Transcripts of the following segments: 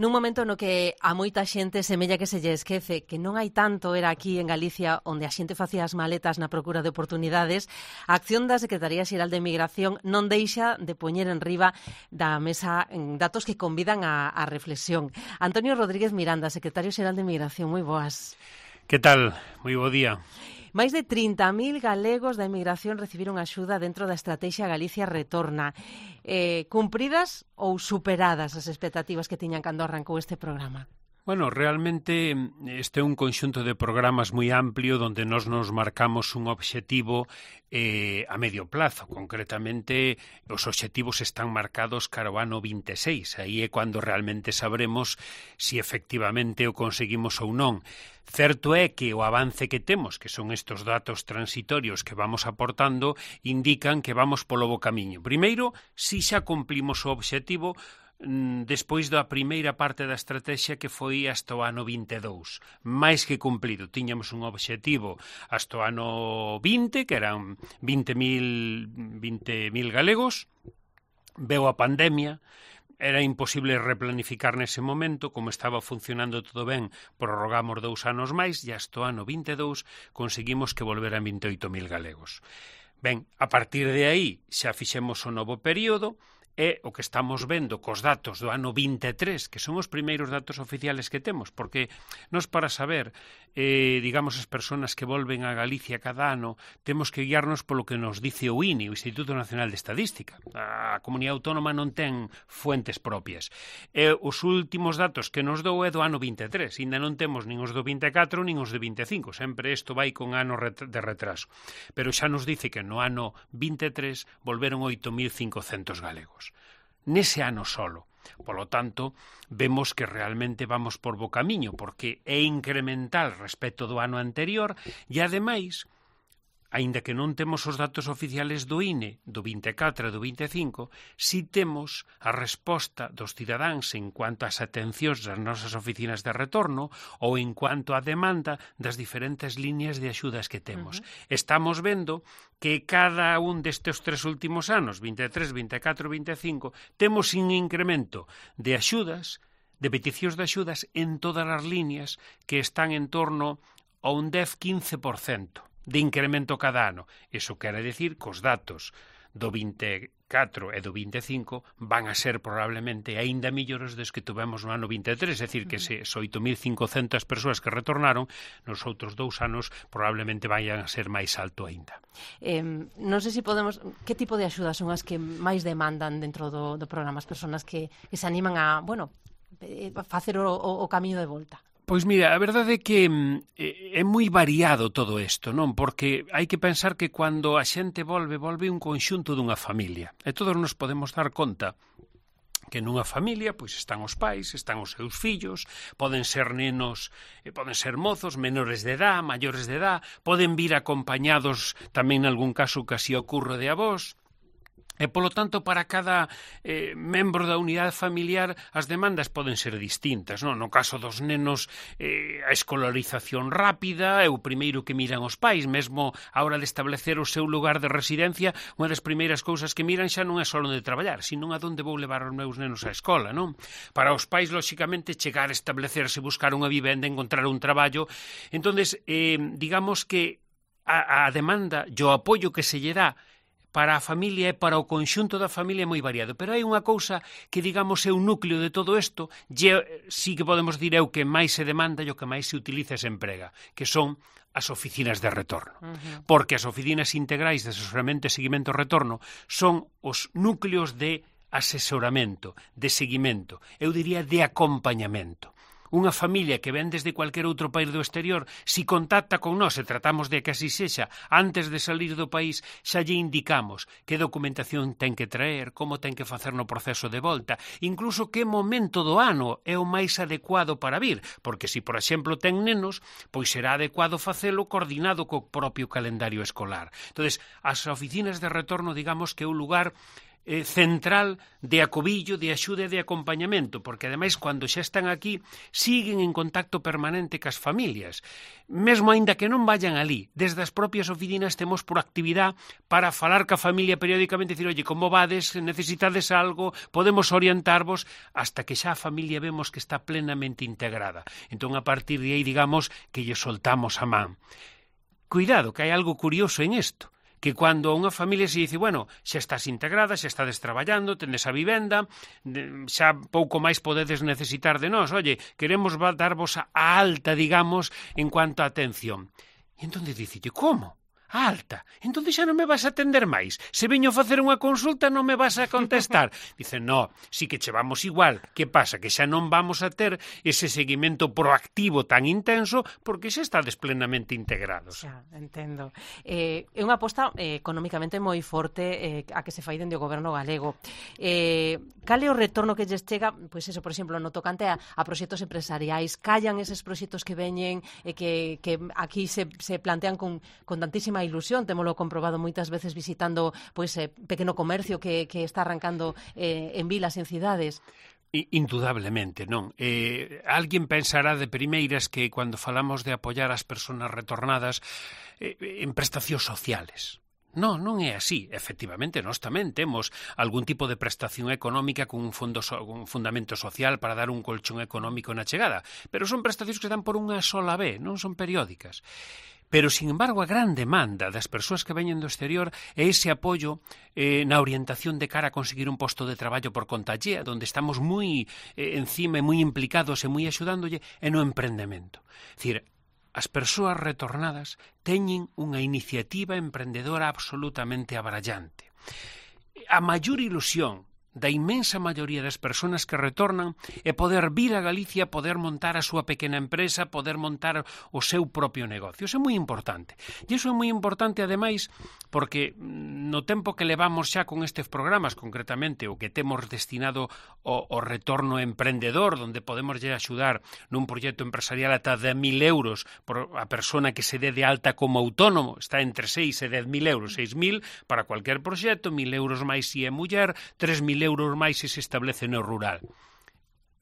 Nun momento no que a moita xente semella que se lle esquece que non hai tanto era aquí en Galicia onde a xente facía as maletas na procura de oportunidades, a acción da Secretaría Xeral de Migración non deixa de poñer en riba da mesa datos que convidan a reflexión. Antonio Rodríguez Miranda, Secretario Xeral de Migración, moi boas. Que tal? Moi bo día. Máis de 30.000 galegos da emigración recibiron axuda dentro da estrategia Galicia Retorna. Cumpridas ou superadas as expectativas que tiñan cando arrancou este programa? Bueno, realmente este é un conxunto de programas moi amplio onde nos marcamos un obxectivo a medio plazo. Concretamente, os obxectivos están marcados cara ao ano 26. Aí é cando realmente sabremos si efectivamente o conseguimos ou non. Certo é que o avance que temos, que son estes datos transitorios que vamos aportando, indican que vamos polo bo camiño. Primeiro, si xa cumplimos o obxectivo despois da primeira parte da estrategia que foi hasta o ano 22. Mais que cumplido. Tiñamos un obxectivo hasta o ano 20, que eran 20.000 galegos. Veu a pandemia. Era imposible replanificar nese momento, como estaba funcionando todo ben, prorrogamos 2 anos máis e hasta o ano 22 conseguimos que volveran 28.000 galegos. Ben, a partir de aí xa fixemos o novo período, é o que estamos vendo cos datos do ano 23, que son os primeiros datos oficiales que temos, porque nos para saber, digamos, as persoas que volven a Galicia cada ano, temos que guiarnos polo que nos dice o INE, o Instituto Nacional de Estadística. A Comunidade Autónoma non ten fuentes propias. Os últimos datos que nos dou é do ano 23, ainda non temos nin os do 24 nin os do 25, sempre isto vai con anos de retraso. Pero xa nos dice que no ano 23 volveron 8.500 galegos. Nese ano solo. Polo tanto, vemos que realmente vamos por bo camiño, porque é incremental respecto do ano anterior e, ademais, aínda que non temos os datos oficiales do INE, do 24 e do 25, si temos a resposta dos cidadáns en cuanto ás atencións das nosas oficinas de retorno ou en cuanto á demanda das diferentes líneas de axudas que temos. Estamos vendo que cada un destes 3 últimos anos, 23, 24 e 25, temos un incremento de axudas, de peticións de axudas en todas as líneas que están en torno a un 10-15% de incremento cada ano. Iso quere decir que os datos do 24 e do 25 van a ser probablemente aínda millores dos que tuvemos no ano 23, é dicir, que se 8.500 persoas que retornaron, nos outros 2 anos probablemente vayan a ser máis alto aínda. Non sei se podemos... Que tipo de axudas son as que máis demandan dentro do programa, as persoas que se animan a, facer o camiño de volta? Pois mira, a verdade é que é moi variado todo isto, non? Porque hai que pensar que cando a xente volve un conxunto dunha familia. E todos nos podemos dar conta que nunha familia pois están os pais, están os seus fillos, poden ser nenos, poden ser mozos, menores de edad, maiores de edad, poden vir acompañados tamén en algún caso que así ocurre de avós. E, polo tanto, para cada membro da unidade familiar as demandas poden ser distintas, non? No caso dos nenos, a escolarización rápida é o primeiro que miran os pais, mesmo a hora de establecer o seu lugar de residencia, unha das primeiras cousas que miran xa non é só onde traballar, sino a onde vou levar os meus nenos á escola, non? Para os pais, lóxicamente, chegar a establecerse, buscar unha vivenda, encontrar un traballo. Entonces, digamos que a demanda e o apoio que se lle dá para a familia e para o conxunto da familia é moi variado. Pero hai unha cousa que, digamos, é un núcleo de todo isto, sí que podemos dir é o que máis se demanda e o que máis se utiliza e se emprega, que son as oficinas de retorno. Porque as oficinas integrais de asesoramento e seguimento retorno son os núcleos de asesoramento, de seguimento, eu diría de acompañamento. Unha familia que ven desde cualquier outro país do exterior, si contacta con nós e tratamos de que así sexa, antes de salir do país, xa lle indicamos que documentación ten que traer, como ten que facer no proceso de volta, incluso que momento do ano é o máis adecuado para vir, porque se, por exemplo, ten nenos, pois será adecuado facelo coordinado co propio calendario escolar. Entonces, as oficinas de retorno, digamos que é un lugar central de acobillo, de axuda e de acompañamento, porque ademais cando xa están aquí siguen en contacto permanente cas familias, mesmo aínda que non vayan ali. Desde as propias oficinas temos proactividade para falar ca familia periódicamente e dicir, oye, como vades, necesitades algo, podemos orientarvos, hasta que xa a familia vemos que está plenamente integrada. Entón, a partir de aí, digamos, que lle soltamos a man. Cuidado, que hai algo curioso en isto, que cando unha familia se dice, bueno, xa estás integrada, xa estades traballando, tendes a vivenda, xa pouco máis podedes necesitar de nós, oye, queremos darvos a alta, digamos, en cuanto a atención. E entón dicille, como? A alta? Entón xa non me vas a atender máis? Se veño a facer unha consulta non me vas a contestar? Dice, no, si que che vamos igual. Que pasa? Que xa non vamos a ter ese seguimento proactivo tan intenso porque xa estades plenamente integrados. Xa, entendo. É unha aposta económicamente moi forte a que se fai dende o goberno galego. Cal é o retorno que lles chega, pois eso, por exemplo, no tocante a proxectos empresariais? Callan eses proxectos que veñen e que aquí se plantean con tantísima ilusión, témolo comprobado moitas veces visitando pois pequeno comercio que está arrancando en vilas, en cidades. Indudablemente, non. Alguén pensará de primeiras que cando falamos de apoiar as persoas retornadas en prestacións sociales. Non, non é así. Efectivamente, nós tamén temos algún tipo de prestación económica con un fundamento social para dar un colchón económico na chegada, pero son prestacións que dan por unha sola vez, non son periódicas. Pero, sin embargo, a gran demanda das persoas que veñen do exterior é ese apoio na orientación de cara a conseguir un posto de traballo por conta allea, onde estamos moi encima e moi implicados e moi axudándolle, e no emprendemento. É dicir, as persoas retornadas teñen unha iniciativa emprendedora absolutamente abrallante. A maior ilusión da inmensa maioría das persoas que retornan é poder vir a Galicia, poder montar a súa pequena empresa, poder montar o seu propio negocio. Iso é moi importante. E iso é moi importante, ademais, porque no tempo que levamos xa con estes programas, concretamente o que temos destinado ao retorno emprendedor, onde podemos lle axudar nun proxecto empresarial ata 10.000 euros por a persona que se dé de alta como autónomo, está entre 6 e 10.000 euros, 6.000 para cualquier proxecto, 1.000 euros máis se é muller, 3.000 euros máis se establece no rural.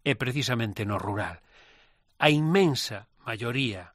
E precisamente no rural. A inmensa maioría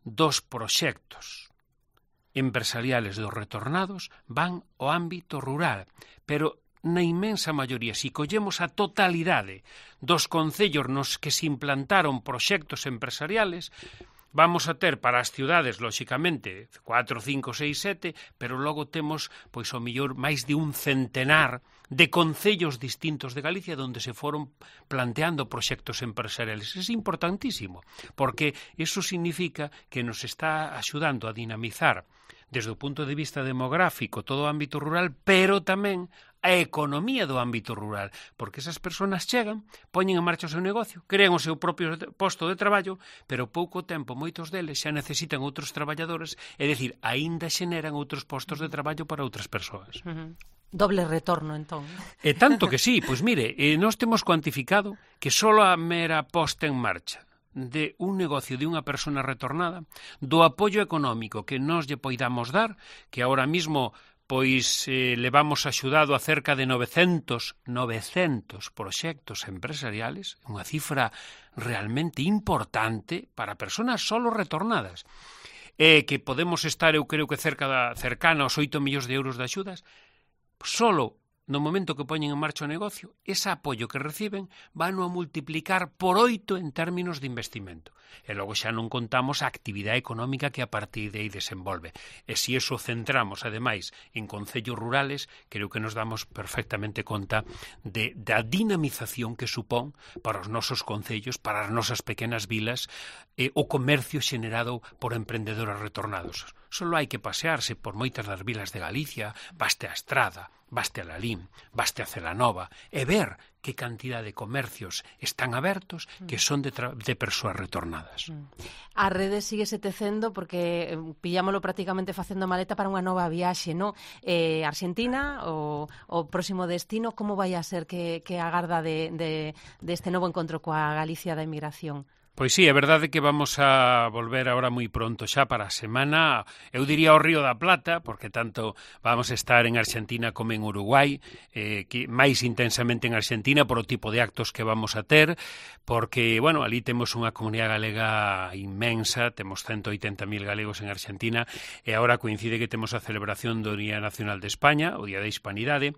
dos proxectos empresariales dos retornados van ao ámbito rural, pero na inmensa maioría, se collemos a totalidade dos concellos nos que se implantaron proxectos empresariales, vamos a ter para as ciudades, lóxicamente, 4, 5, 6, 7, pero logo temos, pois, ao mellor, máis de un centenar de concellos distintos de Galicia onde se foron planteando proxectos empresariales. É importantísimo, porque iso significa que nos está axudando a dinamizar desde o punto de vista demográfico todo o ámbito rural, pero tamén a economía do ámbito rural, porque esas persoas chegan, poñen en marcha o seu negocio, crean o seu propio posto de traballo, pero pouco tempo moitos deles xa necesitan outros traballadores, é dicir, aínda xeneran outros postos de traballo para outras persoas. Doble retorno, entón. E tanto que sí, pois mire, nós temos cuantificado que só a mera posta en marcha de un negocio de unha persona retornada, do apoio económico que nós lle poidamos dar, que ahora mismo pois levamos axudado a cerca de 900 proxectos empresariales, unha cifra realmente importante para persoas solo retornadas, que podemos estar, eu creo que cercana aos 8 millóns de euros de axudas, solo no momento que poñen en marcha o negocio, ese apoio que reciben van a multiplicar por 8 en términos de investimento. E logo xa non contamos a actividade económica que a partir de aí desenvolve. E se iso centramos, ademais, en concellos rurales, creo que nos damos perfectamente conta da dinamización que supón para os nosos concellos, para as nosas pequenas vilas, o comercio xenerado por emprendedores retornados. Só hai que pasearse por moitas das vilas de Galicia, baste a Estrada, baste a Lalín, baste a Celanova, e ver que cantidad de comercios están abertos que son de persoas retornadas. A rede síguese tecendo porque pillámolo prácticamente facendo maleta para unha nova viaxe, non? Argentina, o próximo destino, como vai a ser que agarda de este novo encontro coa Galicia da emigración? Pois sí, é verdade que vamos a volver agora moi pronto xa para a semana, eu diría o Río da Plata, porque tanto vamos a estar en Argentina como en Uruguai, que máis intensamente en Argentina por o tipo de actos que vamos a ter, porque, bueno, ali temos unha comunidade galega inmensa, temos 180.000 galegos en Argentina, e agora coincide que temos a celebración do Día Nacional de España, o Día da Hispanidade.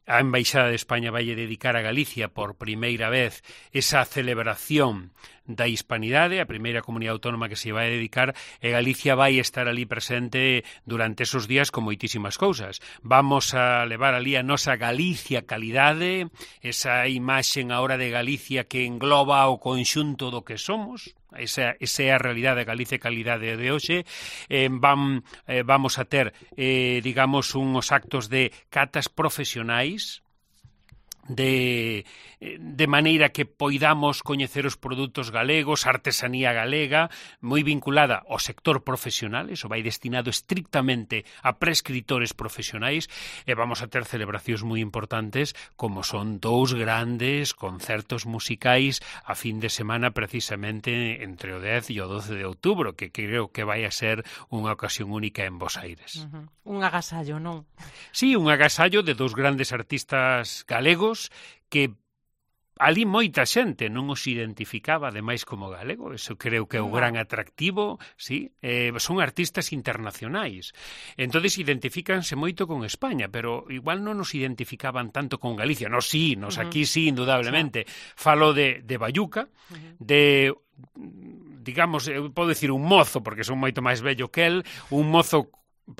A Embaixada de España vai dedicar a Galicia por primeira vez esa celebración da Hispanidade, a primeira comunidade autónoma que se vai dedicar, e Galicia vai estar ali presente durante esos días con moitísimas cousas. Vamos a levar ali a nosa Galicia calidade, esa imaxen agora de Galicia que engloba o conxunto do que somos. Esa é a realidade de Galicia calidade de hoxe. Vamos a ter, digamos, uns actos de catas profesionais, de maneira que poidamos coñecer os produtos galegos, artesanía galega, moi vinculada ao sector profesional, iso vai destinado estrictamente a prescritores profesionais, e vamos a ter celebracións moi importantes, como son 2 grandes concertos musicais a fin de semana, precisamente entre o 10 e o 12 de outubro, que creo que vai a ser unha ocasión única en Bos Aires. Un agasallo, non? Sí, un agasallo de 2 grandes artistas galegos que ali moita xente non os identificaba ademais como galego, eso creo que é o gran atractivo, sí, son artistas internacionais, entonces identifícanse moito con España, pero igual non nos identificaban tanto con Galicia, nos aquí sí, indudablemente, falo de Bayuca, de, digamos, eu podo dicir un mozo, porque son moito máis vello que el, un mozo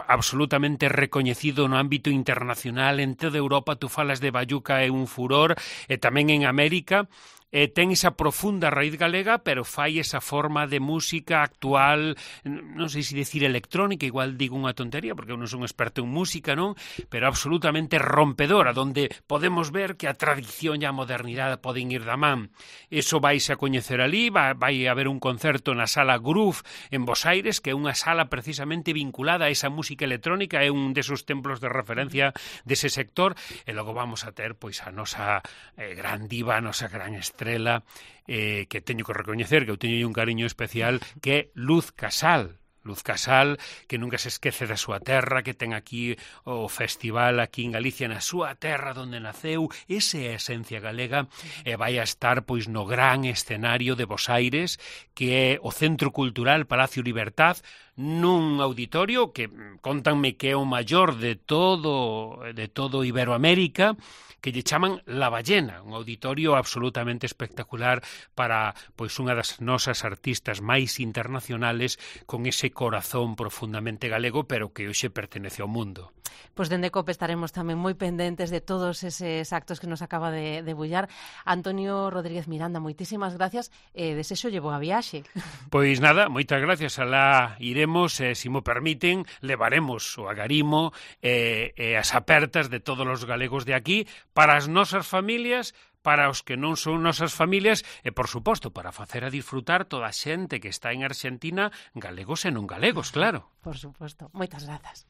absolutamente recoñecido no ámbito internacional, en toda Europa tú falas de Bayuca, é un furor, e tamén en América, ten esa profunda raíz galega, pero fai esa forma de música actual, non sei se decir electrónica, igual digo unha tontería, porque eu non son experto en música, non? Pero absolutamente rompedora, donde podemos ver que a tradición e a modernidade poden ir da man. Eso vais a coñecer ali, vai haber un concerto na Sala Groove en Bos Aires, que é unha sala precisamente vinculada a esa música electrónica, é un desos templos de referencia dese sector, e logo vamos a ter pois a nosa gran diva, a nosa gran estrela, que teño que recoñecer que eu teño un cariño especial, que é Luz Casal. Luz Casal, que nunca se esquece da súa terra, que ten aquí o festival aquí en Galicia, na súa terra onde naceu, esa é a esencia galega, e vai a estar pois no gran escenario de Bos Aires, que é o Centro Cultural Palacio Libertad, nun auditorio que contanme que é o maior de todo Iberoamérica, que lle chaman La Ballena, un auditorio absolutamente espectacular para pois unha das nosas artistas máis internacionales, con ese corazón profundamente galego, pero que hoxe pertenece ao mundo. Pois dende COPE estaremos tamén moi pendentes de todos eses actos que nos acaba de debullar. Antonio Rodríguez Miranda, moitísimas gracias, e desexo lle boa viaxe. Pois nada, moitas gracias, alá iremos, se mo permiten, levaremos o agarimo e as apertas de todos os galegos de aquí para as nosas familias, para os que non son nosas familias e, por suposto, para facer a disfrutar toda a xente que está en Argentina, galegos e non galegos, claro. Por suposto. Moitas grazas.